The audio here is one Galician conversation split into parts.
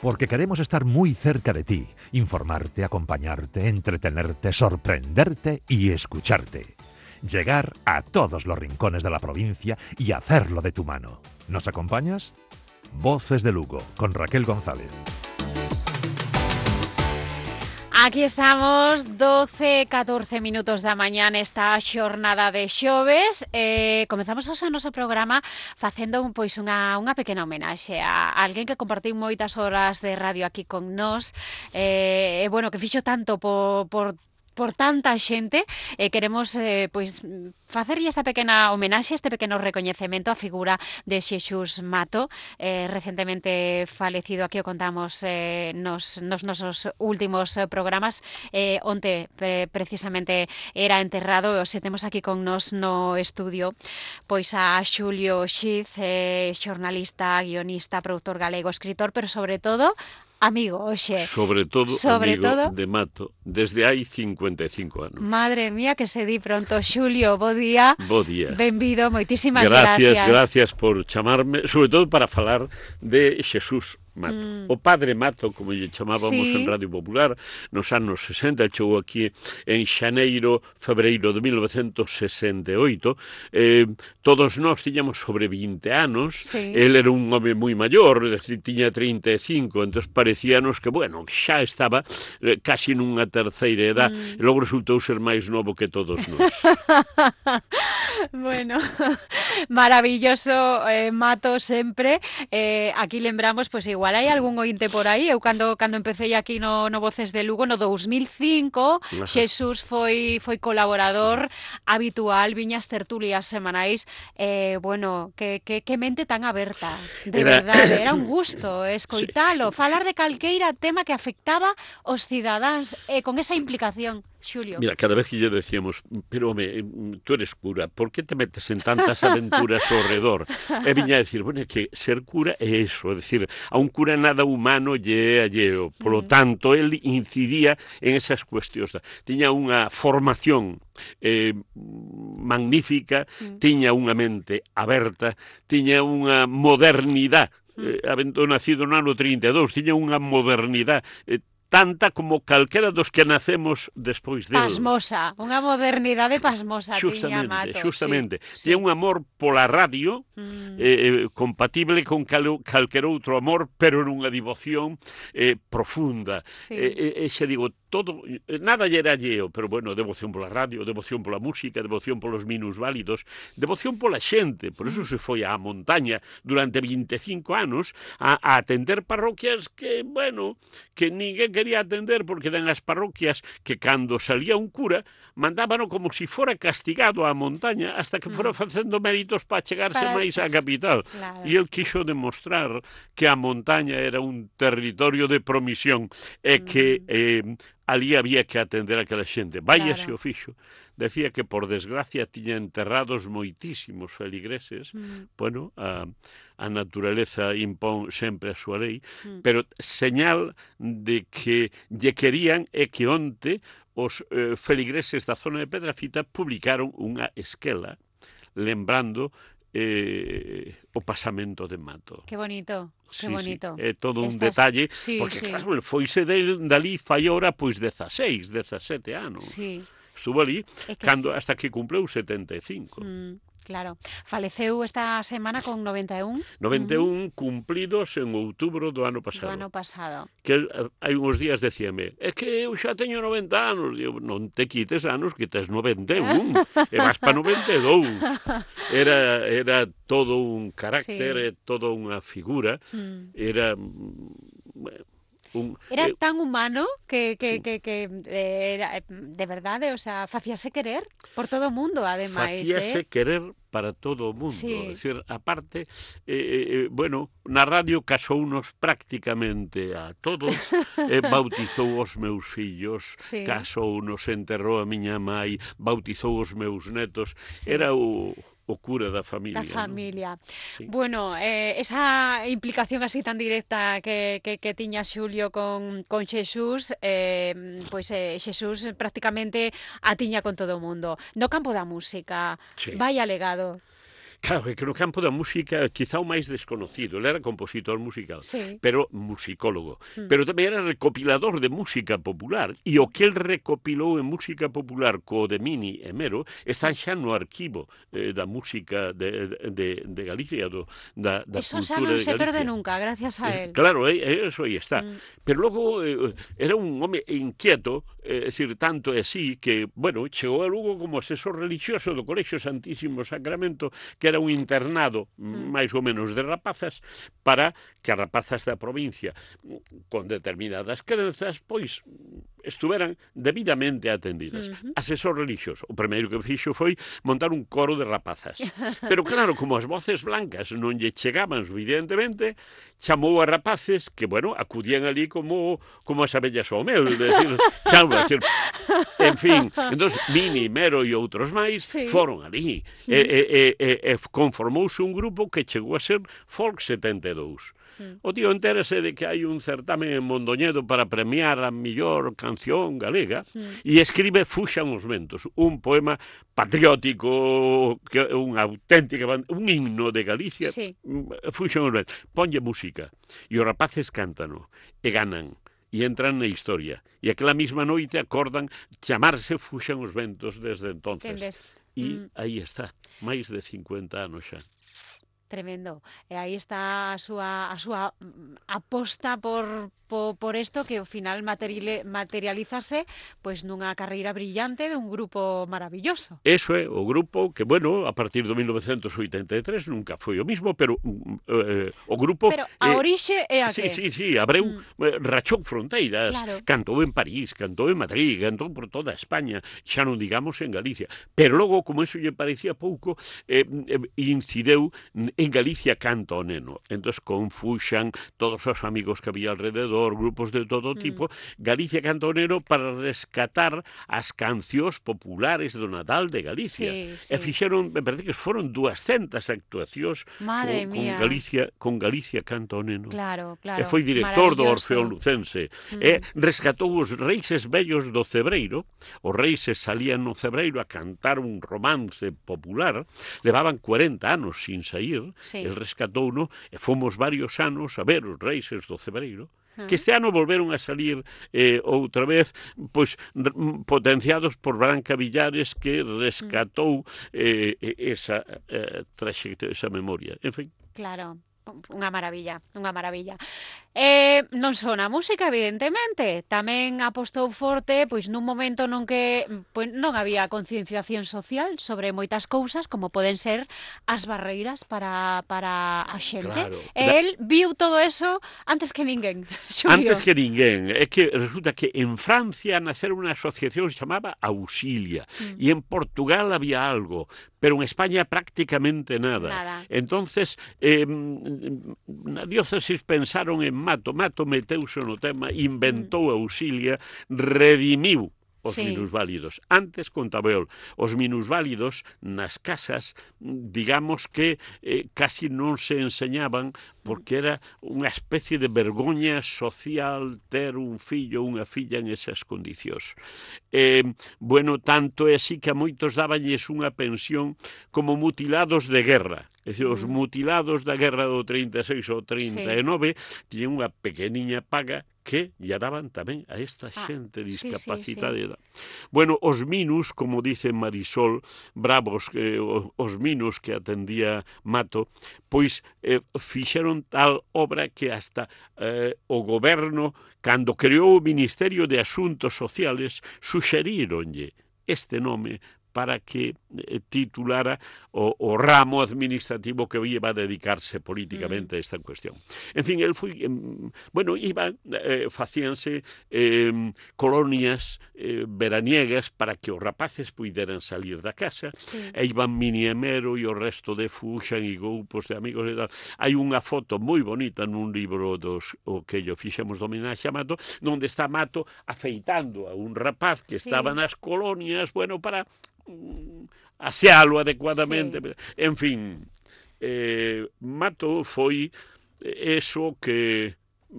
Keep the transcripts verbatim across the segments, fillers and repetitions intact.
porque queremos estar muy cerca de ti, informarte, acompañarte, entretenerte, sorprenderte y escucharte. Llegar a todos los rincones de la provincia y hacerlo de tu mano. ¿Nos acompañas? Voces de Lugo, con Raquel González. Aquí estamos, doce, catorce minutos da mañá nesta xornada de xoves. Eh, comezamos hoxe o noso programa facendo un, pois unha, unha pequena homenaxe a alguén que compartiu moitas horas de radio aquí con nós, e eh, bueno, que fixo tanto por, por por tanta xente, e eh, queremos eh, pois facerlle esta pequena homenaxe, este pequeno recoñecemento á figura de Xesús Mato, eh, recentemente falecido. Aquí o contamos eh, nos, nos nosos últimos programas. Eh, onte pre, precisamente era enterrado, e os temos aquí con nos no estudio pois a Xulio Xiz, eh, xornalista, guionista, produtor galego, escritor, pero sobre todo amigo, oxe. Sobre todo Sobre amigo todo, de Mato, desde hai cincuenta e cinco anos. Madre mía, que se di pronto. Xulio, bo día. Bo día. Benvido, moitísimas gracias. gracias. Gracias por chamarme, sobre todo para falar de Xesús Mato. Mm. O padre Mato, como lle chamábamos, sí, en Radio Popular, nos anos sesenta, chegou aquí en xaneiro, febreiro de mil novecentos sesenta e oito. Eh, todos nós tiñamos sobre vinte anos, sí. El era un home moi maior, tiña trinta e cinco, entón parecíanos que, bueno, xa estaba eh, casi nunha terceira edad, mm. e logo resultou ser máis novo que todos nós. Bueno, maravilloso, eh, Mato sempre. Eh, aquí lembramos, pois pues, igual hai algún ointe por aí. Eu cando cando empecé aquí no, no Voces de Lugo no dous mil cinco, Xesús foi foi colaborador habitual, viñas tertulias semanais. Eh, bueno, que, que, que mente tan aberta, de era... verdade, era un gusto escoitalo, sí. Falar de calqueira tema que afectaba os cidadáns, eh, con esa implicación. Xulio. Mira, cada vez que lle decíamos, pero home, tú eres cura, por que te metes en tantas aventuras ao redor? E viña a decir, bueno, é que ser cura é eso, é dicir, a un cura nada humano lle é alleo, polo tanto, el incidía en esas cuestións. Tiña unha formación eh, magnífica, mm. tiña unha mente aberta, tiña unha modernidade, eh, habendo nacido no ano trinta e dous, tiña unha modernidade eh, tanta como calquera dos que nacemos despois del. Pasmosa, unha modernidade pasmosa tiña Mato. Justamente, sí, tiña sí. un amor pola radio, mm. eh, compatible con cal, calquer outro amor, pero nunha devoción eh, profunda. Sí. E eh, eh, xa digo, todo, nada lle era alleo, pero bueno, devoción pola radio, devoción pola música, devoción polos minusválidos, devoción pola xente, por eso se foi á montaña durante vinte e cinco anos a, a atender parroquias que, bueno, que ninguén quería atender porque eran as parroquias que cando salía un cura mandábano como si fora castigado á montaña hasta que fora facendo méritos para chegarse para... máis á capital. Claro. E el quixo demostrar que a montaña era un territorio de promisión e que eh, ali había que atender a aquela xente. Vaya claro. Se o fixo. Decía que, por desgracia, tiña enterrados moitísimos feligreses. Mm. Bueno, a, a naturaleza impón sempre a súa lei, mm. pero señal de que lle querían é que onte os eh, feligreses da zona de Pedrafita publicaron unha esquela lembrando eh, o pasamento de Mato. Que bonito. Sí, que bonito. Sí, é todo un Estas... detalle, sí, porque sí. claro, el foise de, dali fai ora pois dezaseis, dezasete anos. Sí. Estuvo ali é que cando, hasta que cumpleu setenta e cinco. Mm. Claro. Faleceu esta semana con noventa e un. noventa e un uh-huh. cumplidos en outubro do ano pasado. Do ano pasado. Que hai uns días decíame, é que eu xa teño noventa anos. Digo, non te quites anos, que tes noventa e un. E vas para noventa e dous. Era, era todo un carácter, sí. Todo unha figura. Mm. Era... Un, era eh, tan humano que, que, sí. que, que eh, era, de verdade, o sea, facíase querer por todo o mundo, ademais. Facíase eh? querer para todo o mundo. Sí. É dicir, aparte, eh, eh, bueno, na radio casounos prácticamente a todos, eh, bautizou os meus fillos, sí. Casounos, enterrou a miña mai, bautizou os meus netos. Sí. Era o... o cura da familia. Da familia. ¿No? Sí. Bueno, eh, esa implicación así tan directa que, que, que tiña Xulio con, con Xesús, eh, pois eh, Xesús prácticamente a tiña con todo o mundo. No campo da música, sí. Vai alegado. Claro, é que no campo da música quizá o máis desconocido, ele era compositor musical, Sí. pero musicólogo, Mm. pero tamén era recopilador de música popular, e o que el recopilou en música popular co de Mini e Mero están xa no arquivo eh, da música de, de, de Galicia, do, da, da Eso xa cultura non de se perde Galicia. nunca, gracias a él. Claro, eh, eso aí está. Mm. Pero logo eh, era un home inquieto, é eh, dicir, tanto é así que, bueno, chegou a Lugo como asesor religioso do Colexio Santísimo Sacramento, que era un internado Mm. máis ou menos de rapazas, para que as rapazas da provincia con determinadas crenzas, pois, estuveran debidamente atendidas. Ujú. Asesor religioso. O primeiro que fixo foi montar un coro de rapazas. Pero claro, como as voces blancas non lle chegaban suficientemente, chamou a rapaces que, bueno, acudían ali como como as abellas ao mel, decir, claro, decir, en fin, entón, Mini, Mero e outros máis Sí. foron ali. E, e, e, e, e conformouse un grupo que chegou a ser Folk setenta e dous. Mm. O tío entérase de que hai un certamen en Mondoñedo para premiar a millor canción galega Mm. e escribe Fuxan os ventos, un poema patriótico, que un auténtica, un himno de Galicia. Sí. Fuxan os ventos, ponlle música e os rapaces cántano e ganan e entran na historia. E aquela mesma noite acordan chamarse Fuxan os ventos desde entonces. Entendes? E Mm. aí está, máis de cincuenta anos xa. Tremendo. E aí está a súa, a súa mm, aposta por, por, por isto que ao final materiale, materializase pois nunha carreira brillante de un grupo maravilloso. Eso é o grupo que, bueno, a partir do mil novecentos oitenta e tres nunca foi o mismo, pero eh, o grupo... Pero a eh, orixe é a Sí, que? sí, sí, Abreu Mm. eh, rachou fronteiras, Claro. cantou en París, cantou en Madrid, cantou por toda España, xa non digamos en Galicia. Pero logo, como eso lle parecía pouco, eh, eh, incideu en Galicia canta o neno. Entón, con Fuxan, todos os amigos que había alrededor, grupos de todo tipo, Galicia canta o neno para rescatar as cancións populares do Natal de Galicia. Sí, sí. E fixeron, me parece que foron duascentas actuacións Madre con, mía. con Galicia, con Galicia canta o neno. Claro, claro. E foi director do Maravilloso. Orfeón Lucense. Mm. E rescatou os reises vellos do Cebreiro. Os reises salían no Cebreiro a cantar un romance popular. Levaban cuarenta anos sin sair. Sí. El rescatouno e fomos varios anos a ver os reises do Cebreiro. Ah. Que este ano volveron a salir eh, outra vez, pois, r- m- potenciados por Branca Villares, que rescatou eh, esa eh, traxectoria, esa memoria. En fin. Claro. Unha maravilla, unha maravilla. Eh, non só na música, evidentemente, tamén apostou forte, pois nun momento non que pois, non había concienciación social sobre moitas cousas, como poden ser as barreiras para, para a xente. Claro. E Da- el viu todo eso antes que ninguén, Xulio. Antes que ninguén, é que resulta que en Francia nacer unha asociación chamaba Auxilia, Mm. e en Portugal había algo, pero en España prácticamente nada. Nada. Entonces, eh, na diócesis pensaron en Mato, Mato meteuse no tema, inventou Auxilia, redimiu os Sí. minusválidos. Antes, contaba eu, os minusválidos nas casas, digamos que eh, casi non se enseñaban porque era unha especie de vergoña social ter un fillo ou unha filla en esas condicións. Eh, bueno, tanto é así que a moitos dabanlles unha pensión como mutilados de guerra. É dicir, os Mm. mutilados da guerra do trinta e seis ou trinta e nove tiñen unha pequeniña paga que lle daban tamén a esta Ah, xente sí, sí, discapacitada. Bueno, os minus, como dice Marisol Bravos, eh, os minus que atendía Mato, pois eh, fixeron tal obra que hasta eh, o goberno, cando creou o Ministerio de Asuntos Sociales, suxeríronlle este nome para que eh, titulara o, o ramo administrativo que iba a dedicarse políticamente a esta cuestión. En fin, el foi, eh, bueno, iba, eh, facíanse eh, colonias eh, veraniegas para que os rapaces puideran salir da casa, Sí. e iban Mini e Mero e o resto de Fuxan e grupos de amigos e tal. Hai unha foto moi bonita nun libro dos o que yo fixemos do homenaxe a Mato, onde está Mato afeitando a un rapaz que Sí. estaba nas colonias, bueno, para mm, asealo adecuadamente. Sí. En fin, eh, Mato foi eso que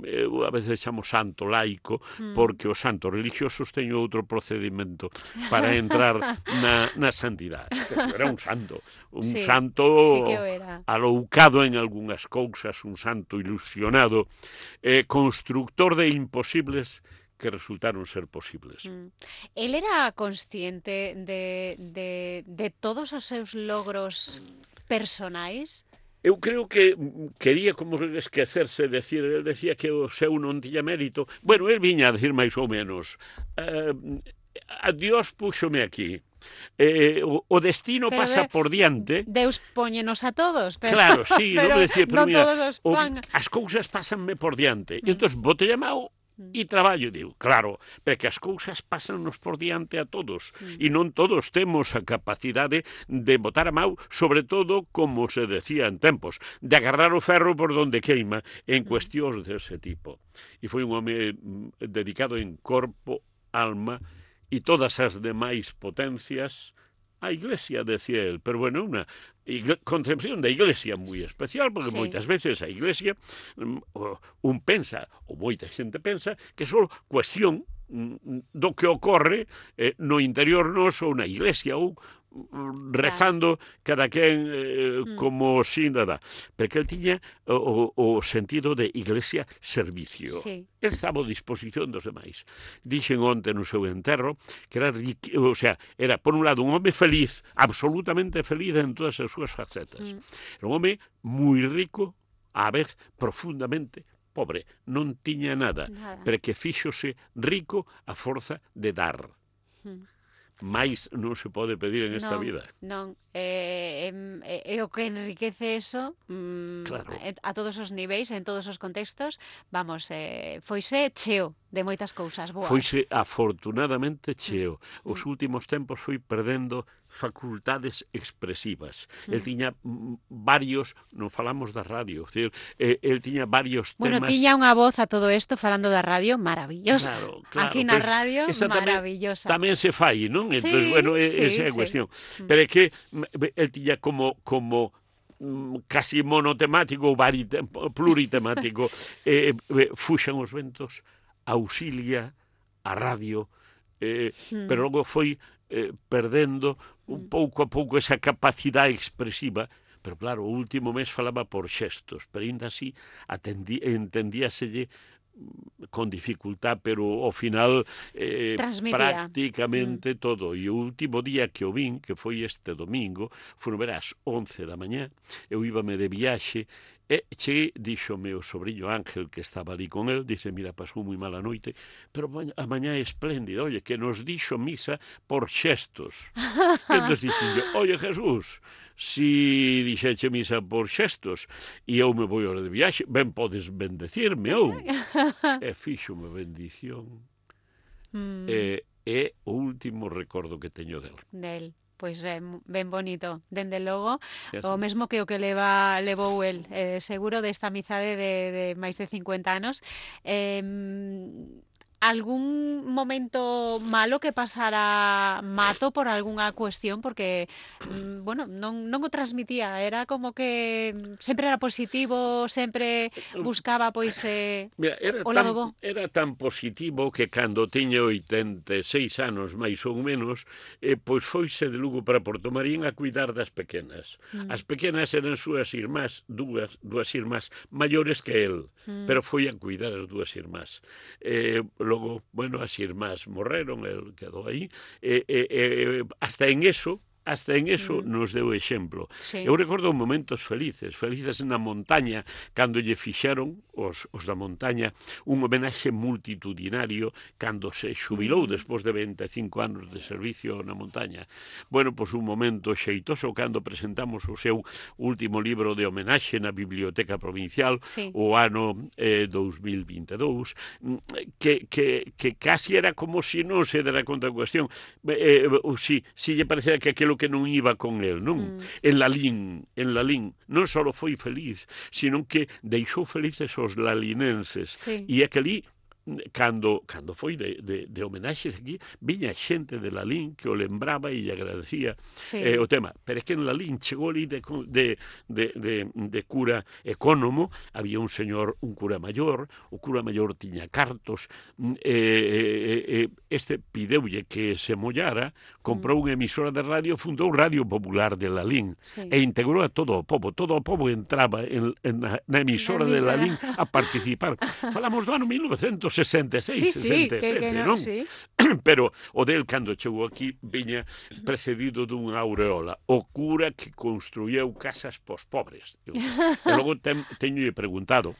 eu a veces chamo santo laico, Mm. porque os santos religiosos teñen outro procedimento para entrar na, na santidade. Este era un santo, un Sí, santo sí que o era. aloucado en algunhas cousas, un santo ilusionado, eh, constructor de imposibles que resultaron ser posibles. Mm. El era consciente de, de, de todos os seus logros personais? Eu creo que quería como esquecerse, decir, el decía que o seu non tiña mérito. Bueno, el viña a decir máis ou menos, eh, a Dios púxome aquí. Eh, o, o destino Pero pasa de, por diante. Deus póñenos a todos, pero, Claro, sí, pero non me decía, pero non mira, todos os o, pan. as cousas pásanme por diante. Mm. E entón, bote llamado Mm. e traballo, digo, claro, porque as cousas pásannos por diante a todos, Mm. e non todos temos a capacidade de botar a mau, sobre todo, como se decía en tempos, de agarrar o ferro por donde queima, en cuestións dese tipo. E foi un home mm, dedicado en corpo, alma, e todas as demais potencias a Iglesia, decía él, pero bueno, unha concepción da Iglesia moi especial, porque Sí. moitas veces a Iglesia un pensa, ou moita xente pensa, que é só cuestión do que ocorre eh, no interior noso ou na Iglesia, ou rezando cada quen eh, Mm. como sinda dá. Porque el tiña o, o sentido de iglesia servicio. Sí. El estaba a disposición dos demais. Dixen onte no seu enterro que era, riqui, o sea, era por un lado un home feliz, absolutamente feliz en todas as súas facetas. Mm. Era un home moi rico, á vez profundamente pobre. Non tiña nada, Nada. pero que fíxose rico a forza de dar. Mm. Mais non se pode pedir en esta non, vida. Non, é, é, é o que enriquece eso mm, Claro. a todos os niveis, en todos os contextos. Vamos, eh, foise cheo de moitas cousas boas. Foise afortunadamente cheo. Mm. Os últimos tempos foi perdendo facultades expresivas. Mm. El tiña mm, varios, non falamos da radio, decir, eh, el tiña varios Bueno, temas... tiña unha voz a todo isto falando da radio maravillosa. Claro, claro, Aquí na pois, radio, esa tamén- maravillosa. Tamén se fai, non? Entón, Sí, bueno, e- sí, esa é a sí. cuestión. Mm. Pero é que mm, el tiña como como mm, casi monotemático ou varite- pluritemático, eh, eh, fuxan os ventos, auxilia a radio, eh, Mm. pero logo foi eh, perdendo un Mm. pouco a pouco esa capacidade expresiva. Pero claro, o último mes falaba por xestos, pero ainda así atendí, entendíaselle con dificultad, pero ao final eh, Transmitía. prácticamente mm. todo. E o último día que o vin, que foi este domingo, foron ver ás once da mañá, eu íbame de viaxe, e cheguei, díxome o sobrinho Ángel, que estaba ali con el, dice, mira, pasou moi mala noite, pero a mañá é espléndida, oye, que nos dixo misa por xestos. E entón dixen, oye, Jesús, si dixeche misa por xestos e eu me vou hora de viaxe, ben podes bendecirme ou e fíxome bendición. Mm. E é o último recordo que teño del. Del. Pois ben, ben bonito, dende logo, É o así. mesmo que o que leva levou el, eh, seguro desta amizade de, de máis de cincuenta anos. Eh, algún momento malo que pasara Mato por algunha cuestión, porque, mm, bueno, non, non o transmitía, era como que sempre era positivo, sempre buscaba, pois, eh, Mira, era, o lado bo. tan, era tan positivo que cando tiña oitenta e seis anos, máis ou menos, eh, pois foise de Lugo para Portomarín a cuidar das pequenas. Mm. As pequenas eran súas irmás, dúas, dúas irmás maiores que el, Mm. pero foi a cuidar as dúas irmás. Eh, logo, bueno, as irmás morreron, el quedou aí, e, e, e hasta en eso, hasta en eso Mm. nos deu exemplo. Sí. Eu recordo momentos felices, felices na montaña, cando lle fixeron os, os da montaña un homenaxe multitudinario cando se xubilou Mm. despois de vinte e cinco anos de servicio na montaña. Bueno, pois un momento xeitoso cando presentamos o seu último libro de homenaxe na Biblioteca Provincial, Sí. o ano eh, dous mil vinte e dous, que, que, que casi era como se si non se dera conta da cuestión, eh, ou si, si lle parecera que aquilo que non iba con el, non? Mm. En Lalín, en Lalín, non só foi feliz, sino que deixou felices os lalinenses. Sí. E é que ali cando, cando foi de, de, de homenaxes aquí, viña xente de Lalín que o lembraba e lle agradecía Sí. eh, o tema. Pero é que en Lalín chegou ali de, de, de, de, de cura ecónomo, había un señor, un cura maior, o cura maior tiña cartos, eh, eh, este pideulle que se mollara, comprou unha emisora de radio, fundou Radio Popular de Lalín, Sí. e integrou a todo o pobo. Todo o pobo entraba en, en na, na emisora Na de emisora. Lalín a participar. Falamos do ano mil novecentos sesenta e seis, Sí, sí, sesenta e que, sete, que non? no, sí. Pero o del, cando chegou aquí, viña precedido dunha aureola. O cura que construíeu casas pos pobres. E logo ten, teño preguntado,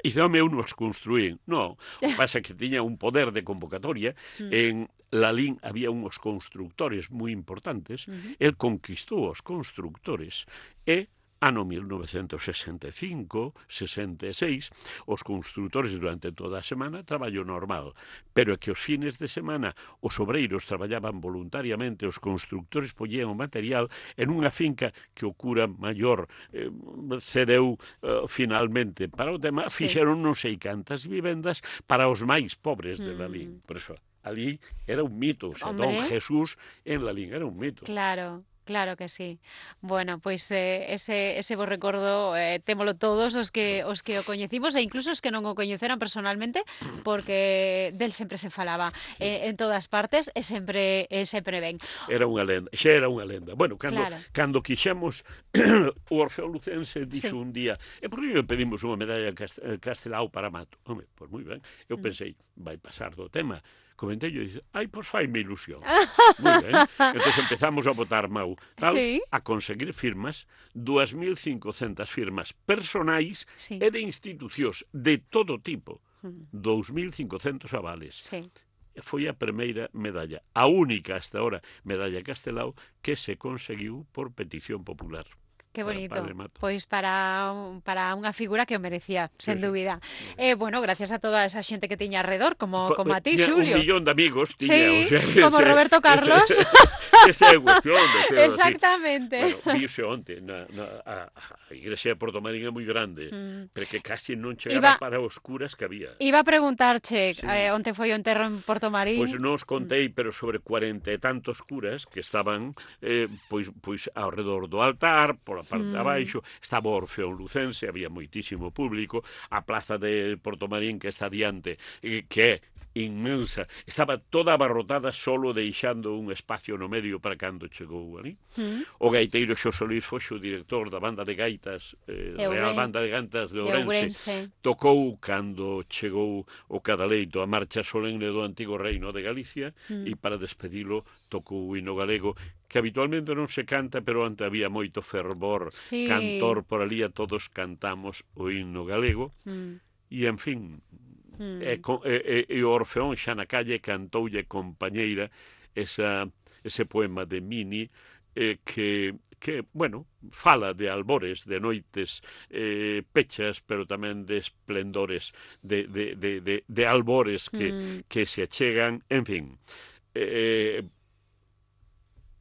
e se home eu nos construín. Non, o que pasa é que tiña un poder de convocatoria. En Lalín había uns constructores moi importantes. El conquistou os constructores e ano mil novecentos sesenta e cinco, sesenta e seis, os constructores durante toda a semana traballo normal, pero é que os fines de semana os obreiros traballaban voluntariamente, os constructores poñían o material en unha finca que o cura maior eh, cedeu eh, finalmente para o tema, Sí. fixeron non sei cantas vivendas para os máis pobres de Mm. Lalín. Por eso, ali era un mito, o sea, Don Hombre. Jesús en Lalín era un mito. Claro, claro que sí. Bueno, pois eh, ese, ese bo recordo eh, témolo todos os que os que o coñecimos e incluso os que non o coñeceran personalmente, porque del sempre se falaba eh, en todas partes e sempre e sempre ben. Era unha lenda, xa era unha lenda. Bueno, cando, Claro. cando quixemos o Orfeo Lucense dixo Sí. un día, e por que non pedimos unha medalla Cast- eh, Castelao para Mato? Home, pois moi ben. Eu Mm. pensei, vai pasar do tema. Comentei e dice, ai, pois faime ilusión. Moi ben. Entón empezamos a votar mau, tal, Sí. a conseguir firmas, dúas mil cincocentas firmas personais Sí. e de institucións de todo tipo. Mm. dous mil cincocentos avales. Sí. Foi a primeira medalla, a única hasta ahora medalla Castelao que se conseguiu por petición popular. Que para bonito. Padre Mato. Pois para, un- para unha figura que o merecía, sen sí. dúbida. Eh, bueno, gracias a toda esa xente que tiña alrededor, como, Co- como a ti, tiña Xulio. Un millón de amigos, tiña, Sí, o sea, como ese- Roberto Carlos. Ese é cuestión de ser así. Exactamente. Bueno, viuse onte, na, na, a, a igrexa de Porto Marín é moi grande, Mm. pero que casi non chegaba Iba- para os curas que había. Iba a preguntarche Sí. eh, onte foi o enterro en Porto Marín. Pois non os contei, pero sobre cuarenta e tantos curas que estaban eh, pois, pois ao redor do altar, pola parte de Mm. abaixo, estaba o Orfeo Lucense, había moitísimo público, a plaza de Porto Marín que está diante, eh, que é inmensa, estaba toda abarrotada solo deixando un espacio no medio para cando chegou ali. Mm. O gaiteiro Xosé Luís Foxo, director da banda de gaitas, eh, De Real Ourense. Banda de Gaitas de De Ourense, Ourense. tocou cando chegou o Cadaleito a marcha solemne do antigo reino de Galicia Mm. e para despedilo tocou o hino galego que habitualmente non se canta, pero ante había moito fervor Sí. cantor por ali a todos cantamos o hino galego Mm. e en fin Mm. e, co- e, e, e o Orfeón xa na calle cantoulle compañeira esa, ese poema de Mini eh, que que, bueno, fala de albores, de noites eh, pechas, pero tamén de esplendores, de, de, de, de, de albores que, Mm. que se achegan, en fin. Eh,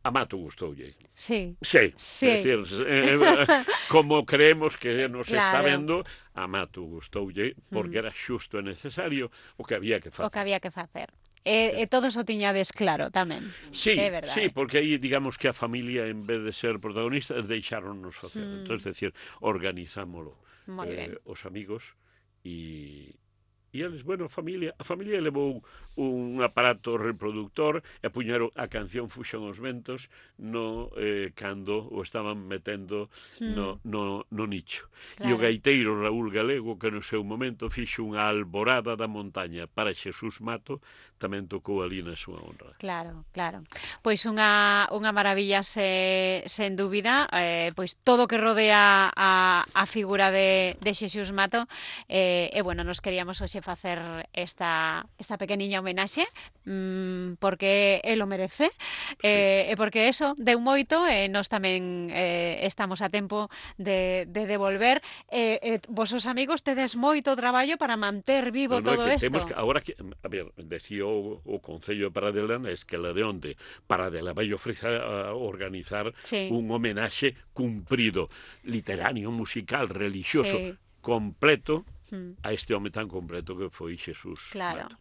a Mato gustoulle. Sí. Sí, Sí. é dicir, eh, como creemos que nos está Claro. vendo, a Mato gustoulle, porque Mm. era xusto e necesario o que había que O que facer. había que facer. E, e todos o tiñades claro tamén. Sí, É verdade. sí, porque aí digamos que a familia en vez de ser protagonistas deixáronnos facer. Mm. Entón, é dicir, organizámolo Moi ben. eh, os amigos e e eles, bueno, a familia, a familia levou un aparato reproductor e puñeron a canción Fuxan os ventos no eh, cando o estaban metendo no, no, no nicho. E o Claro. gaiteiro Raúl Galego, que no seu momento fixo unha alborada da montaña para Xesús Mato, tamén tocou ali na súa honra. Claro, claro. Pois unha, unha maravilla se, sen dúbida, eh, pois todo o que rodea a, a figura de, de Xesús Mato eh, e bueno, nos queríamos hoxe facer esta, esta pequeniña homenaxe mmm, porque el o merece eh, e porque eso deu moito e nós tamén eh, estamos a tempo de, de devolver e eh, eh, vosos amigos tedes moito traballo para manter vivo No, no, é todo que isto. temos que, ahora que, a ver, decía o, o Concello de Paradelana, es que la de onde Paradela vai ofrecer a organizar Sí. un homenaxe cumprido, literario, musical, religioso, Sí. completo a este home tan completo que foi Xesús. Claro. Mato.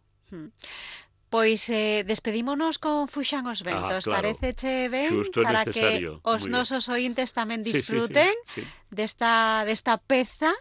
Pois eh, despedímonos con Fuxan os ventos, ah, claro. Pareceche ben? Xusto e para necesario. Que os Muy nosos ointes tamén sí, disfruten sí, sí, sí. desta, desta peza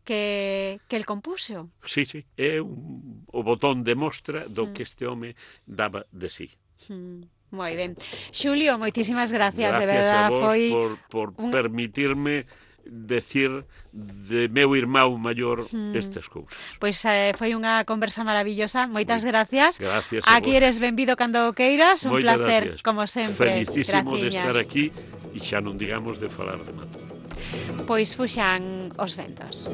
que, que el compuxo. Sí, sí, é un, o botón de mostra do que este home daba de sí. Mm. Moi ben. Xulio, moitísimas gracias, gracias de verdad, a vos foi por, por un... permitirme decir de meu irmão maior mm. estas cousas. Pois eh, foi unha conversa maravillosa. Moitas Muy, gracias. Gracias a Aquí vos. eres benvido cando queiras. Un Moitas placer, gracias. como sempre. Felicísimo Graciñas. de estar aquí e xa non digamos de falar de Mato. Pois fuxan os ventos.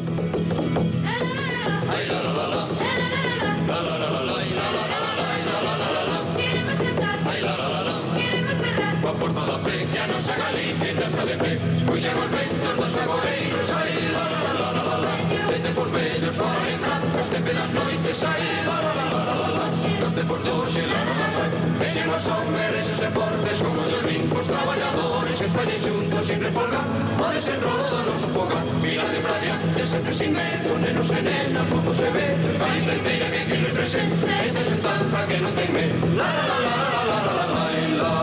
Coa forza da fe que a nosa Galicia está de pé. Puxen os ventos dos agoreiros, ai, la, la, la, la, la, la. De tempos vellos fora lembranzas, tempe das noites, ai, la, la, la, la, la, la. Nos tempos doxe, la, la, la, la. Veñen os hombres e fortes, con ollos limpos, traballadores, que fallen xuntos sin refolgar. O desenrolo do noso fogar, mirade pra diante, sempre sin medo, nenos e nenas, mozos e vellos, Galicia inteira que aquí representa esta xuntanza que non ten medo. La, la, la, la, la, la, la, la, la, la.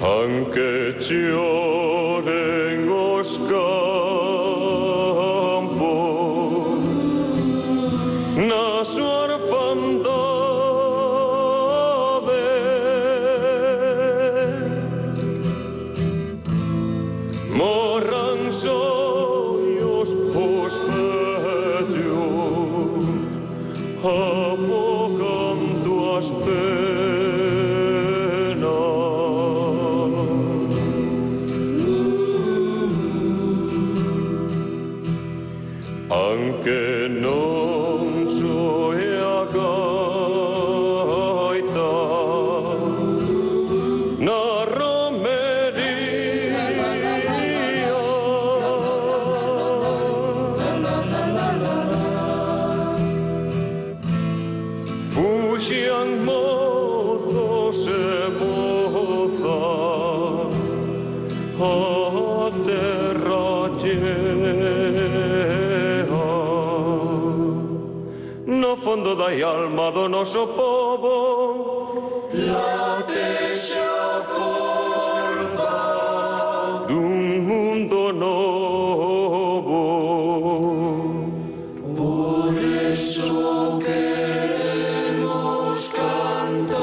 Anche lloren os campos na súa orfandade, morran sonhos os velhos afogando as penas. Que non soe a gaita na romería, fuxian mozos e mozas a terra no fondo da alma do noso povo late xa forza dun mundo novo. Por eso queremos cantar.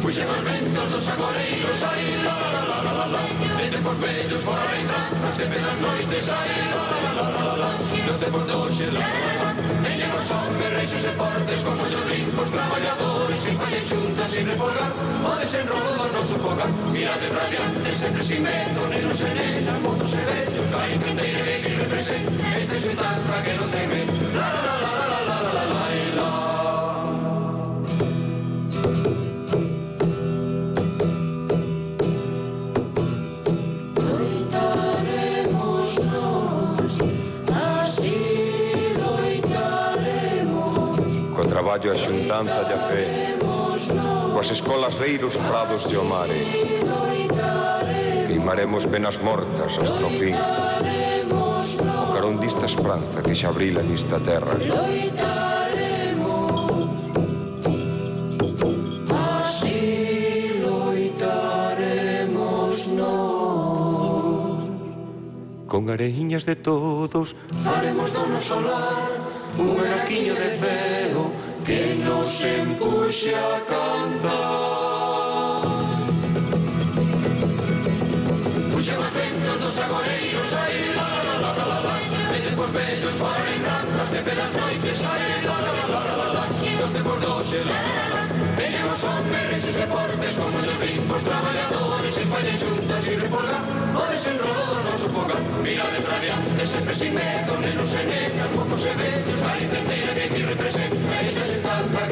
Fuxen os ventos dos agoreiros, ai, la, la, la, la, la, la. De tempos vellos fora lembranzas, tempe das noites, ai, la, la, la, la, la, la. Nos tempos doxe, la, la, la, la. Veñen os hombres reixos e fortes, con ollos limpos, traballadores, que fallen xuntas sin refolgar o desenrolo do noso fogar. Mirade pra diante, sempre sin medo, nenos e nenas, mozos e vellos, Galicia inteira que aquí representa esta xuntanza que non ten medo. La, la, la, la, la, la, la, la, la, la. Traballo a xuntanza e a fe, coas escolas reiros prados de o mare, queimaremos penas mortas hasta o fin, o carón dista esperanza que xa brila nesta terra. Así loitaremos nós, con areiñas de todos faremos do noso lar un anaquiño de ceo que nos empuxe a cantar. Puxen os ventos dos agoreiros, ai, la, la, la, la, la, la. De tempos vellos fora lembranzas, tempe das noites, ai, la, la, la, la, la, la. Nos tempos doxe, la, la, la. Veñen os hombres reixos e fortes, con ollos limpos, traballadores, que fallen xuntos sin refolgar o desenrolo do noso fogar. Mirade pra diante, sempre sin medo, nenos e nenas, mozos e vellos, Galicia inteira que aquí representa esta xuntanza